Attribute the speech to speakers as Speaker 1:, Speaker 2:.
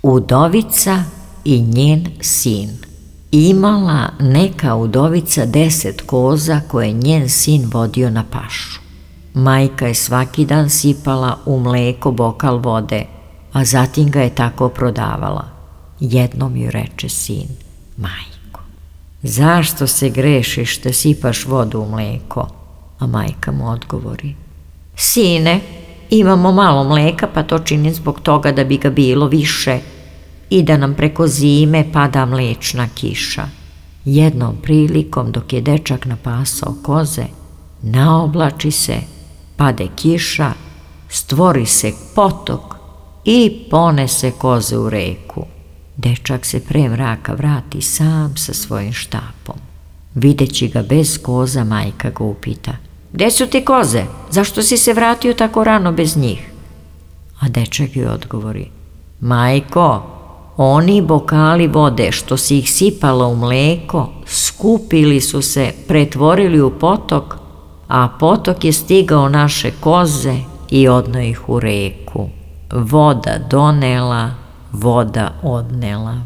Speaker 1: Udovica i njen sin. Imala neka udovica 10 koza koje njen sin vodio na pašu. Majka je svaki dan sipala u mleko bokal vode, a zatim ga je tako prodavala. Jednom ju reče sin: majko, zašto se grešiš da sipaš vodu u mleko? A majka mu odgovori: sine, imamo malo mleka, pa to činim zbog toga da bi ga bilo više i da nam preko zime pada mlečna kiša. Jednom prilikom, dok je dečak napasao koze, naoblači se, pade kiša, stvori se potok i ponese koze u reku. Dečak se pre mraka vrati sam sa svojim štapom. Videći ga bez koza, majka ga upita: gde su ti koze? Zašto si se vratio tako rano bez njih? A dečak joj odgovori: majko, oni bokali vode što si ih sipala u mleko, skupili su se, pretvorili u potok, a potok je stigao naše koze i odneo ih u reku. Voda donela, voda odnela.